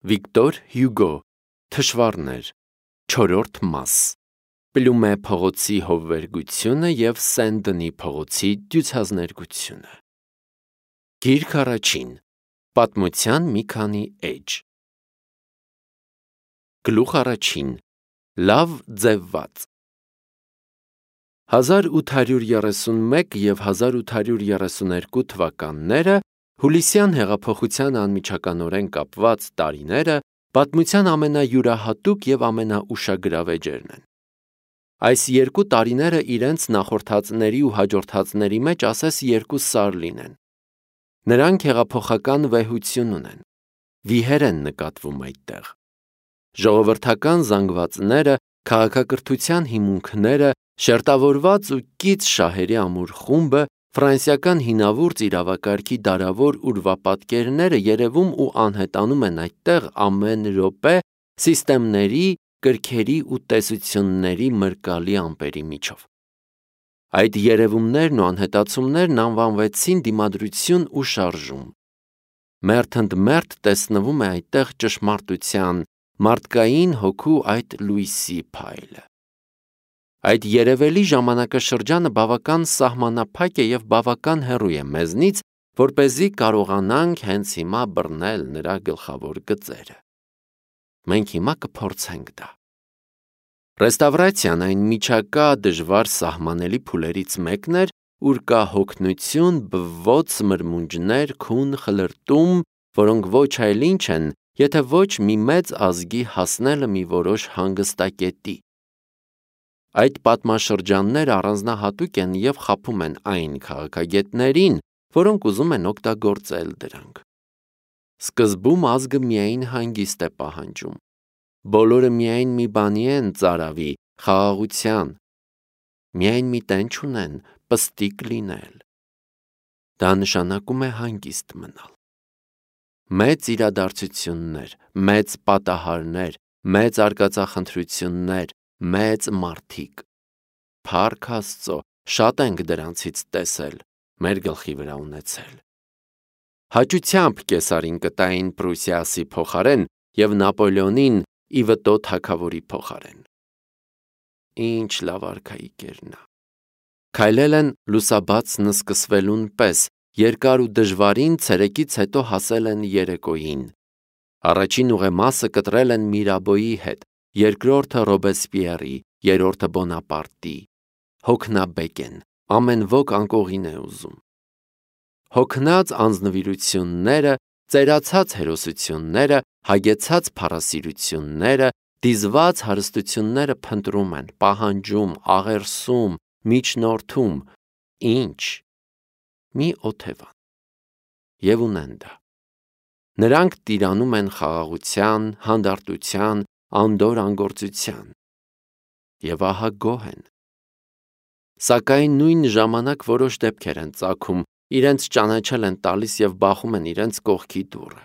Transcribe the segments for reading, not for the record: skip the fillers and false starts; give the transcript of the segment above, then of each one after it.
Վիկտոր Հյուգո, Թշվառներ, 4-րդ մաս, Պլումե փողոցի հովվերգությունը և Սեն-Դնի փողոցի դյուցազներգությունը։ Գիրք առաջին, պատմության մի քանի էջ։ Գլուխ առաջին, լավ ձևված։ 1831 և 1832 թվականները Հուլիսյան հեղափոխության անմիջականորեն կապված տարիները պատմության ամենայուրահատուկ և ամենաուշագրավ էջերն են։ Այս երկու տարիները իրենց նախորդածների ու հաջորդածների մեջ ասես երկու սար լինեն։ Նրանք հեղափոխական վեհություն ունեն, վիհեր են նկատվում այդտեղ։ Ժողովրդական զանգվածները, քաղաքակրթության հիմունքները, շերտավորված ու կից շահերի ամուր խումբը, ֆրանսիական հինավուրց իրավակարգի դարավոր ուրվապատկերները երևում ու անհետանում են այդտեղ ամեն րոպե սիստեմների, կրքերի ու տեսությունների մրկալի ամպերի միջով։ Այդ երևումներն ու անհետացումներն անվանվեցին դիմադրություն ու շարժում։ Մերթ ընդ մերթ տեսնվում է այդտեղ ճշմարտության, մարդկային հոգու այդ լույսի փայլը։ Այդ երևելի ժամանակաշրջանը բավական սահմանափակ է և բավական հեռու է մեզնից, որպեսզի կարողանանք հենց հիմա բռնել նրա գլխավոր գծերը։ Մենք հիմա կփորձենք դա։ Ռեստավրացիան այն միջակա դժվար սահմանելի փուլերից մեկն էր, ուր կա հոգնություն, բվոց, մրմունջներ, քուն, խլրտում, որոնք ոչ այլ ինչ են, եթե ոչ մի մեծ ազգի հասնելը մի որոշ հանգստակետի։ Այդ պատմաշրջանները առանձնահատուկ են և խաբում են այն քաղաքագետներին, որոնք ուզում են օգտագործել դրանք։ Սկզբում ազգը միայն հանգիստ է պահանջում։ Բոլորը միայն մի բանի են ծարավի, խաղաղության։ Միայն մի տեն չունեն, պստիկ լինել։ Դա նշանակում է հանգիստ մնալ։ Մեծ իրադարձություններ, մեծ պատահարներ, մեծ արկածախնդրություններ, մեծ մարդիկ։ Փառք Աստծո, շատ ենք դրանցից տեսել, մեր գլխի վրա ունեցել։ Հաճությամբ Կեսարին կտային Պրուսիասի փոխարեն և Նապոլեոնին ի վտո թագավորի փոխարեն։ Ինչ լավ արքայիկեր նա։ Քայլել են լուսաբացն սկսվելուն պես, երկար ու դժվարին ցերեկից հետո հասել են երեկոյին։ Առաջին ուղեմասը կտրել են Միրաբոյի հետ, երկրորդը Ռոբեսպիերի, երրորդը Բոնապարտի։ Հոգնաբեկ են, ամեն ոք անկողին է ուզում։ Հոգնած անձնվիրությունները, ծերացած հերոսությունները, հագեցած փառասիրությունները, դիզված հարստությունները փնտրում են, պահանջում, աղերսում, միջնորդում, ինչ։ Մի օթևան։ Եվ ունեն դա։ Նրանք տիրանում են խաղաղության, հանդարտության, անդոր անգործության։ Եվ ահա գոհ են։ Սակայն նույն ժամանակ որոշ դեպքեր են ծագում, իրենց ճանաչել են տալիս և բախում են իրենց կողքի դուռը։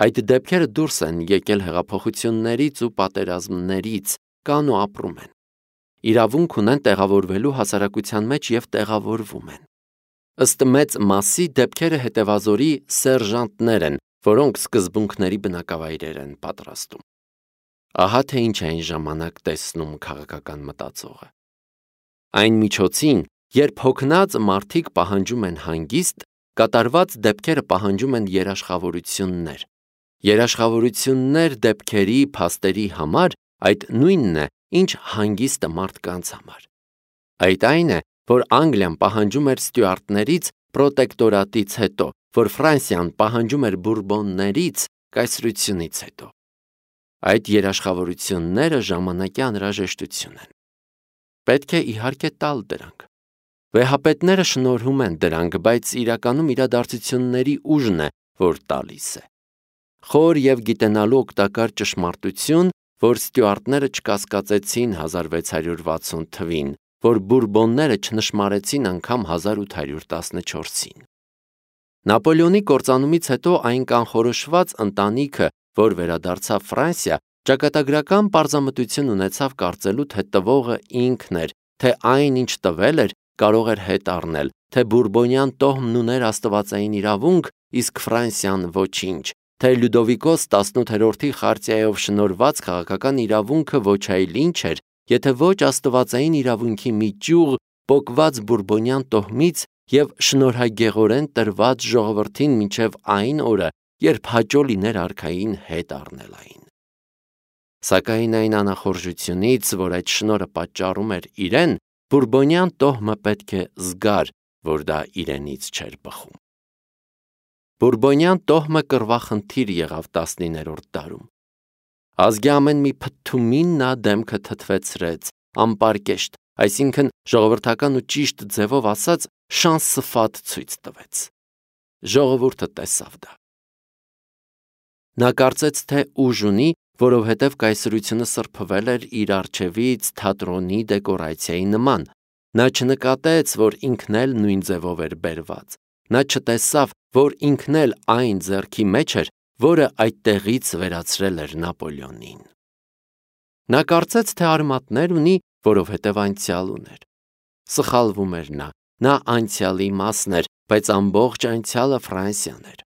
Այդ դեպքերը դուրս են եկել հեղափոխություններից ու պատերազմներից, կան ու ապրում են։ Իրավունք ունեն տեղավորվելու հասարակության մեջ և տեղավորվում են։ Ըստ մեծ մասի դեպքերը հետևազորի սերժանտներ են, որոնք սկզբունքների բնակավայրեր են պատրաստում։ Ահա թե ինչ է այն ժամանակ տեսնում քաղաքական մտածողը։ Այն միջոցին, երբ հոգնած մարդիկ պահանջում են հանգիստ, կատարված դեպքերը պահանջում են երաշխավորություններ։ Երաշխավորություններ դեպքերի, փաստերի համար այդ նույնն է, ինչ հանգիստը մարդկանց համար։ Այդ այն է, որ Անգլիան պահանջում էր ստյուարտներից պրոտեկտորատից հետո, որ Ֆրանսիան պահանջում էր բուրբոններից կայսրությունից հետո։ Այդ երաշխավորությունները ժամանակի անհրաժեշտություն են։ Պետք է իհարկե տալ դրանք։ Վեհապետները շնորհում են դրանք, բայց իրականում իրադարձությունների ուժն է, որ տալիս է։ Խոր և գիտենալու օգտակար ճշմարտություն, որ ստյուարտները չկասկածեցին 1660 թվին, որ բուրբոնները չնշմարեցին անգամ 1814-ին։ Նապոլեոնի կործանումից հետո այն կանխորոշված ընտանիքը, որ վերադարձավ Ֆրանսիա, ճակատագրական պարզամտություն ունեցավ կարծելու, թե տվողը ինքն էր, թե այն, ինչ տվել էր, կարող էր հետ առնել, թե բուրբոնյան տոհմն ուներ աստվածային իրավունք, իսկ Ֆրանսիան ոչինչ, թե Լյուդովիկոս 18-րդի խարտիայով շնորհված քաղաքական իրավունքը ոչ այլ ինչ էր, եթե ոչ աստվածային իրավունքի մի ճյուղ պոկված բուրբոնյան տոհմից և շնորհագեղորեն տրված ժողովրդին մինչև այն օրը, երբ հաճո լիներ արքային հետ առնել այն։ Սակայն այն անախորժությունից, որ այդ շնորհը պատճառում էր իրեն, բուրբոնյան տոհմը պետք է զգար, որ դա իրենից չէր բխում։ Բուրբոնյան տոհմը կռվախնդիր եղավ 19-րդ դարում։ Ազգի ամեն մի փթթումին նա դեմքը թթվեցրեց, անպարկեշտ, այսինքն ժողովրդական ու ճիշտ ձևով ասած շանսֆատ ցույց տվեց։ Ժողովուրդը տեսավ դա։ Նա կարծեց, թե ուժ ունի, որովհետև կայսրությունը սրբվել էր իր առջևից թատրոնի դեկորացիայի նման։ Նա չնկատեց, որ ինքն էլ նույն ձևով էր բերված։ Նա չտեսավ, որ ինքն էլ այն ձեռքի մեջ էր, որը այդտեղից վերացրել էր Նապոլեոնին։ Նա կարծեց, թե արմատներ ունի, որովհետև անցյալ ուներ։ Սխալվում էր նա անցյալի մասն էր, բայց ամբողջ անցյալը Ֆրանսիան էր։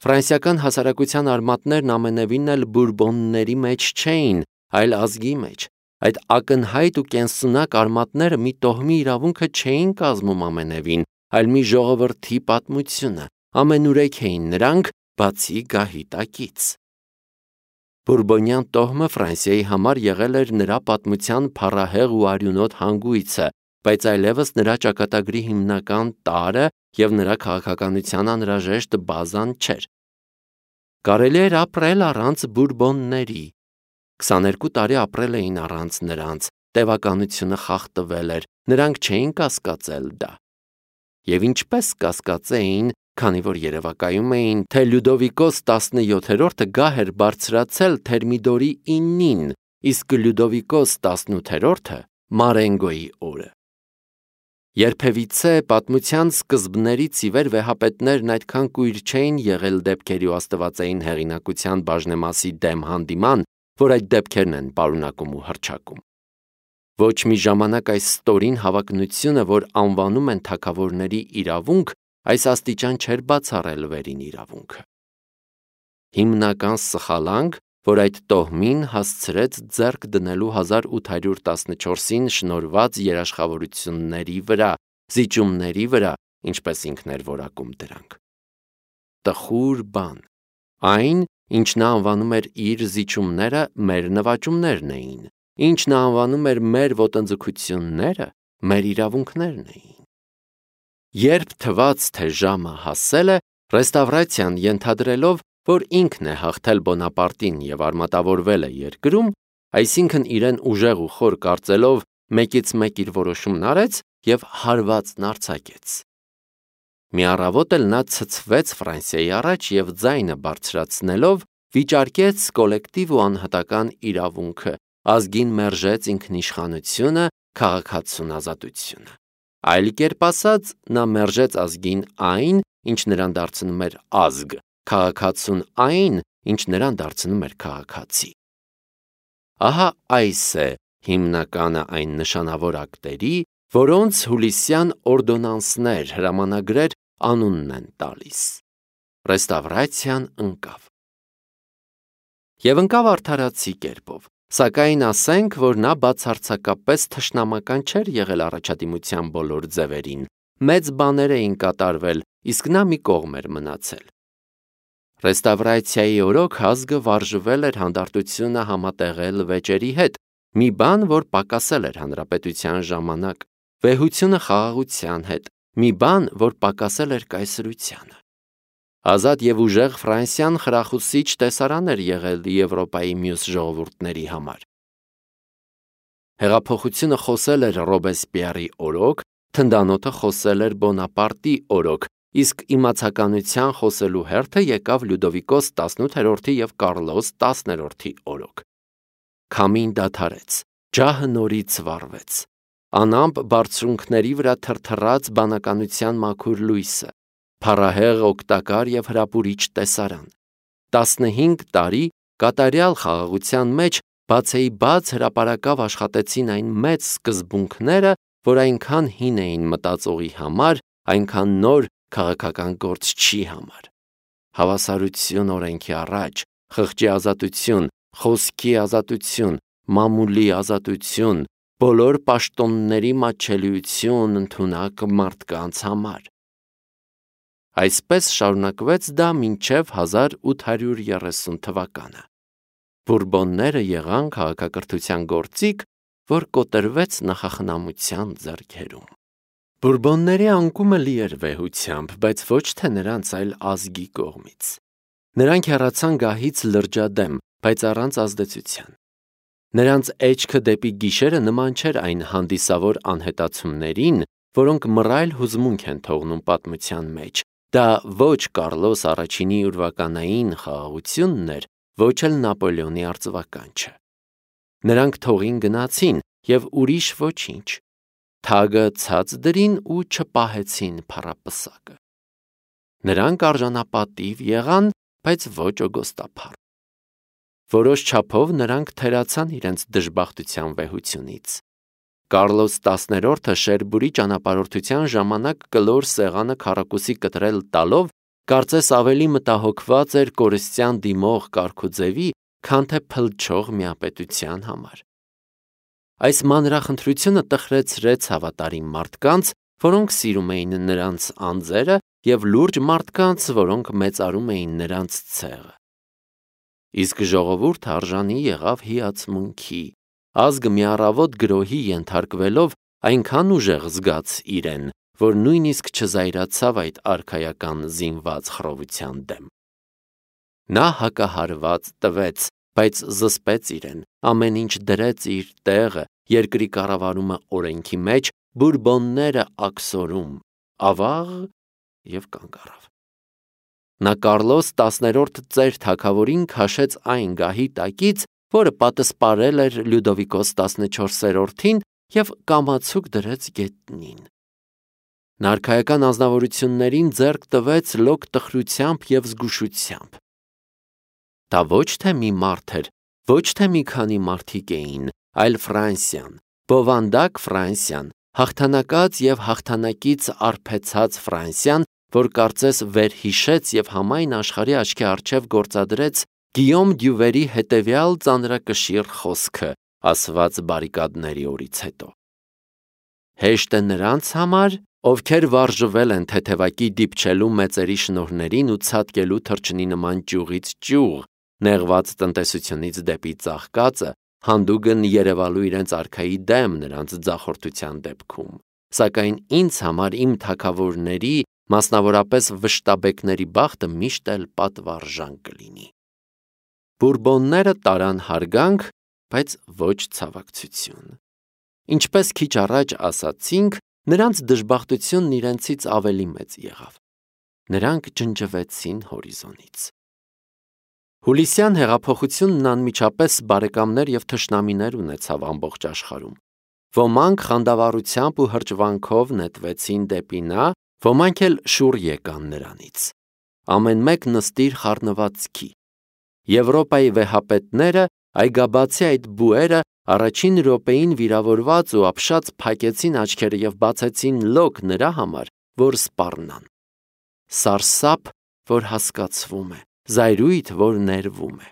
Ֆրանսիական հասարակության արմատներն ամենևին էլ բուրբոնների մեջ չէին, այլ ազգի մեջ։ Այդ ակնհայտ ու կենսունակ արմատները մի տոհմի իրավունքը չէին կազմում ամենևին, այլ մի ժողովրդի պատմությունը, ամենուրեք էին նրանք, բացի գահի տակից։ Բուրբոնյան տոհմը Ֆրանսիայի համար եղել էր նրա պատմության փառահեղ ու արյունոտ հանգույցը, բայց այլևս նրա ճակատագրի հիմնական տարրը և նրա քաղաքականության անհրաժեշտ բազան չէր։ Կարելի էր ապրել առանց բուրբոնների։ 22 տարի ապրել էին առանց նրանց, տևականությունը խախտվել էր, նրանք չէին կասկածել դա։ Եվ ինչպես կասկածեին, քանի որ երևակայում էին, թե Լյուդովիկոս 17-րդը գահ էր բարձրացել Թերմիդորի 9-ին, իսկ Լյուդովիկոս 18-րդը Մարենգոյի օրը։ Երբևիցե պատմության սկզբներից ի վեր վեհապետներն այդքան կույր չէին եղել դեպքերի ու աստվածային հեղինակության բաժնեմասի դեմ հանդիման, որ այդ դեպքերն են պարունակում ու հռչակում։ Ոչ մի ժամանակ այս ստորին հավակնությունը, որ անվանում են թագավորների իրավունք, այս աստիճան չէր բացառել վերին իրավունքը։ Հիմնական սխալանք, որ այդ տոհմին հասցրեց ձեռք դնելու 1814-ին շնորհված երաշխավորությունների վրա, զիջումների վրա, ինչպես ինքն էր որակում դրանք։ Տխուր բան։ Այն, ինչ նա անվանում էր իր զիջումները, մեր նվաճումներն էին, ինչ նա անվանում էր մեր ոտնձգությունները, մեր իրավունքներն էին։ Երբ թվաց, թե ժամը հասել է, ռեստավրացիան ենթադրելով, որ ինքն է հաղթել Բոնապարտին և արմատավորվել է երկրում, այսինքն իրեն ուժեղ ու խոր կարծելով, մեկից մեկ իր որոշումն արեց և հարվածն արձակեց։ Մի առավոտ էլ նա ցցվեց Ֆրանսիայի առաջ և ձայնը բարձրացնելով վիճարկեց կոլեկտիվ ու անհատական իրավունքը, ազգին մերժեց ինքնիշխանությունը, քաղաքացուն ազատությունը։ Այլ կերպ ասած, նա մերժեց ազգին այն, ինչ նրան դարձնում էր ազգ, քաղաքացուն այն, ինչ նրան դարձնում էր քաղաքացի։ Ահա այս է հիմնականը այն նշանավոր ակտերի, որոնց հուլիսյան օրդոնանսներ, հրամանագրեր անունն են տալիս։ Ռեստավրացիան ընկավ։ Եվ ընկավ արդարացի կերպով, սակայն ասենք, որ նա բացարձակապես թշնամական չէր եղել առաջադիմության բոլոր ձևերին, մեծ բաներ էին կատարվել, իսկ նա մի կողմ էր մնացել։ Ռեստավրացիայի օրոք ազգը վարժվել էր հանդարտությունը համատեղել վեճերի հետ, մի բան, որ պակասել էր հանրապետության ժամանակ, վեհությունը խաղաղության հետ, մի բան, որ պակասել էր կայսրությանը։ Ազատ և ուժեղ Ֆրանսիան խրախուսիչ տեսարան էր եղել Եվրոպայի մյուս ժողովուրդների համար։ Հեղափոխությունը խոսել էր Ռոբեսպիեռի օրոք, թնդանոթը խոսել էր Բոնապարտի օրոք, իսկ իմացականության խոսելու հերթը եկավ Լյուդովիկոս 18-րդի և Կարլոս 10-րդի օրոք։ Քամին դադարեց, ջահը նորից վառվեց, անամպ բարձունքների վրա թրթռաց բանականության մաքուր լույսը, փառահեղ օգտակար և հրապուրիչ տեսարան։ 15 տարի կատարյալ խաղաղության մեջ բացեիբաց հրապարակավ աշխատեցին այն մեծ սկզբունքները, որ այնքան հին էին մտածողի համար, այնքան նոր քաղաքական գործչի համար։ հավասարություն օրենքի առաջ, խղճի ազատություն, խոսքի ազատություն, մամուլի ազատություն, բոլոր պաշտոնների մատչելիություն ընդունակ մարդկանց համար։ Այսպես շարունակվեց դա մինչև 1830 թվականը։ Բուրբոնները եղան քաղաքակրթության գործիք, որ կոտրվեց նախախնամության ձեռքերում։ Բուրբոնների անկումը լի էր վեհությամբ, բայց ոչ թե նրանց, այլ ազգի կողմից։ Նրանք հեռացան գահից լրջադեմ, բայց առանց ազդեցության։ Նրանց էջքը դեպի գիշերը նման չէր այն հանդիսավոր անհետացումներին, որոնք մռայլ հուզմունք են թողնում պատմության մեջ։ Դա ոչ Կարլոս առաջինի ուրվականային խաղաղությունն էր, ոչ էլ Նապոլեոնի արծվականչը։ Նրանք թողին գնացին և ուրիշ ոչինչ։ Թագը ցած դրին ու չպահեցին փառապսակը։ Նրանք արժանապատիվ եղան, բայց ոչ օգոստափառ։ Որոշ չափով նրանք թերացան իրենց դժբախտության վեհությունից։ Կարլոս 10-րդը Շերբուրի ճանապարհորդության ժամանակ կլոր սեղանը քառակուսի կտրել տալով, կարծես ավելի մտահոգված էր կորստյան դիմող կարգուձևի, քան թե փլչող միապետության համար։ Այս մանրախնդրությունը տխրեցրեց հավատարիմ մարդկանց, որոնք սիրում էին նրանց անձերը, և լուրջ մարդկանց, որոնք մեծարում էին նրանց ցեղը։ Իսկ ժողովուրդը արժանի եղավ հիացմունքի, ազգը մի առավոտ գրոհի ենթարկվելով այնքան ուժեղ զգաց իրեն, որ նույնիսկ չզայրացավ այդ արքայական զինված խռովության դեմ։ Նա հակահարված տվեց, բայց զսպեց իրեն, ամեն ինչ դրեց իր տեղը, երկրի կառավարումը օրենքի մեջ, բուրբոնները աքսորում, ավաղ և կանգ առավ։ Նա Կարլոս 10-րդ ծեր թագավորին քաշեց այն գահի տակից, որը պատսպարել էր Լյուդովիկոս 14-րդին և կամացուկ դրեց գետնին։ Նա արքայական անձնավորություններին ձեռք տվեց լոկ տխրությամբ և զգուշությամբ։ Դա ոչ թե մի մարդ էր, ոչ թե մի քանի մարդիկ էին, այլ Ֆրանսիան, բովանդակ Ֆրանսիան, հաղթանակած և հաղթանակից արբեցած Ֆրանսիան, որ կարծես վերհիշեց և համայն աշխարհի աչքի առջև գործադրեց Գիյոմ Դյուվերի հետևյալ ծանրակշիռ խոսքը, ասված բարիկադների օրից հետո։ Հեշտ է նրանց համար, ովքեր վարժվել են թեթևակի դիպչելու մեծերի շնորհներին ու ցատկելու թռչնի նման ճյուղից ճյուղ, նեղված տնտեսությունից դեպի ծաղկածը, հանդուգն երևալու իրենց արքայի դեմ նրանց ձախորդության դեպքում, սակայն ինձ համար իմ թագավորների, մասնավորապես վշտաբեկների բախտը միշտ էլ պատվարժան կլինի։ Բուրբոնները տարան հարգանք, բայց ոչ ցավակցություն։ Ինչպես քիչ առաջ ասացինք, նրանց դժբախտությունն իրենցից ավելի մեծ եղավ։ Նրանք ջնջվեցին հորիզոնից։ Հուլիսյան հեղափոխությունն անմիջապես բարեկամներ և թշնամիներ ունեցավ ամբողջ աշխարհում։ Ոմանք խանդավառությամբ ու հրճվանքով նետվեցին դեպի նա, ոմանք էլ շուռ եկան նրանից։ Ամեն մեկ նստիր խառնվածքի։ Եվրոպայի վեհապետները, այգաբացի այդ բուերը, առաջին րոպեին վիրավորված ու ապշած փակեցին աչքերը և բացեցին լոկ նրա համար, որ սպառնան։ Սարսափ, որ հասկացվում է, զայրույթ, որ ներվում է։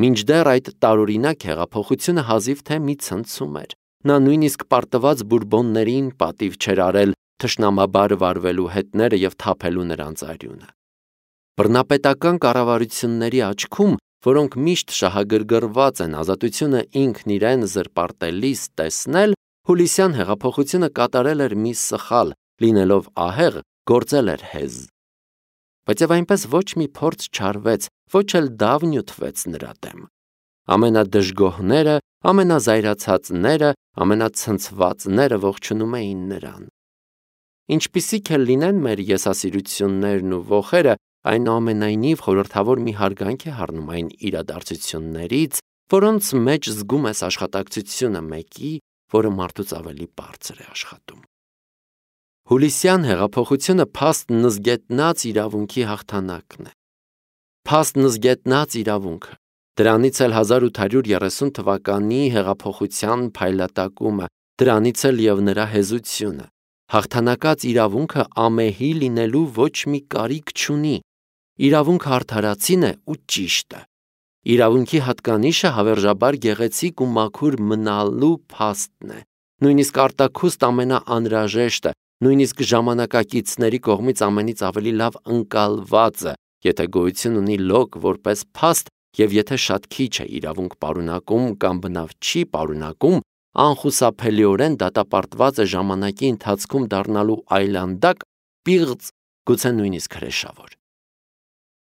Մինչդեռ այդ տարօրինակ հեղափոխությունը հազիվ թե մի ցնցում էր։ Նա նույնիսկ պարտված բուրբոններին պատիվ չէր արել թշնամաբար վարվելու հետները և թափելու նրանց արյունը։ Բռնապետական կառավարությունների աչքում, որոնք միշտ շահագրգռված են ազատությունը ինքն իրեն զրպարտելիս տեսնել, հուլիսյան հեղափոխությունը կատարել էր մի սխալ, լինելով ահեղ, գործել էր հեզ։ Բայց և այնպես ոչ մի փորձ չարվեց, ոչ էլ դավ նյութվեց նրա դեմ։ Ամենադժգոհները, ամենազայրացածները, ամենացնցվածները ողջունում էին նրան։ Ինչպիսիք էլ լինեն մեր եսասիրություններն ու ոխերը, այնուամենայնիվ խորհրդավոր մի հարգանք է առնում այն իրադարձություններից, որոնց մեջ զգում ես աշխատակցությունը մեկի, որը մարդուց ավելի բարձր է աշխատում։ Հուլիսյան հեղափոխությունը փաստ նզգետնած իրավունքի հաղթանակն է։ Փաստ նզգետնած իրավունքը, դրանից էլ 1830 թվականի հեղափոխության փայլատակումը, դրանից էլ և նրա հեզությունը։ Հաղթանակած իրավունքը ամեհի լինելու ոչ մի կարիք չունի։ Իրավունքը արդարացին է ու ճիշտ է։ Իրավունքի հատկանիշը հավերժաբար գեղեցիկ ու մաքուր մնալու փաստն է։ Նույնիսկ արտաքուստ ամենաանհրաժեշտը, նույնիսկ ժամանակակիցների կողմից ամենից ավելի լավ ընկալվածը, եթե գոյություն ունի լոկ որպես փաստ եւ եթե շատ քիչ է իրավունք պարունակում կամ բնավ չի պարունակում, անխուսափելիորեն դատապարտված է ժամանակի ընթացքում դառնալու այլանդակ, պիղծ, գուցե նույնիսկ հրեշավոր։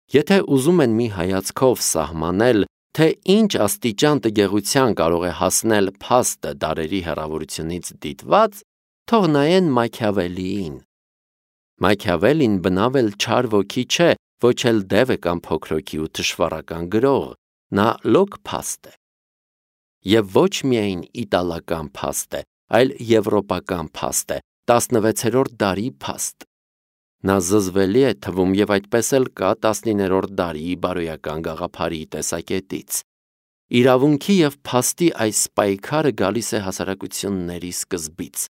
Եթե ուզում են մի հայացքով սահմանել, թե ինչ աստիճան տգեղության կարող է հասնել փաստը դարերի հեռավորությունից դիտված, թող նայեն Մաքիավելիին։ Մաքիավելին բնավ էլ չար ոգի չէ, ոչ էլ դև է կամ փոքրոքի ու թշվառական գրող, նա լոկ փաստ է։ Եվ ոչ միայն իտալական փաստ է, այլ եվրոպական փաստ է, 16-րդ դարի փաստ։ Նա զզվելի է թվում եւ այդպես էլ կա 19-րդ դարի բարոյական գաղափարի տեսակետից։ Իրավունքի եւ փաստի այս պայքարը գալիս է հասարակությունների սկզբից։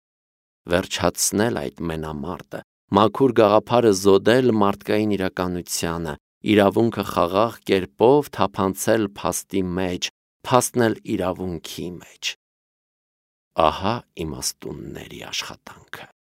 Վերջացնել այդ մենամարտը, մաքուր գաղափարը զոդել մարդկային իրականությանը, իրավունքը խաղաղ կերպով թափանցել փաստի մեջ, փաստն էլ իրավունքի մեջ։ Ահա իմաստունների աշխատանքը։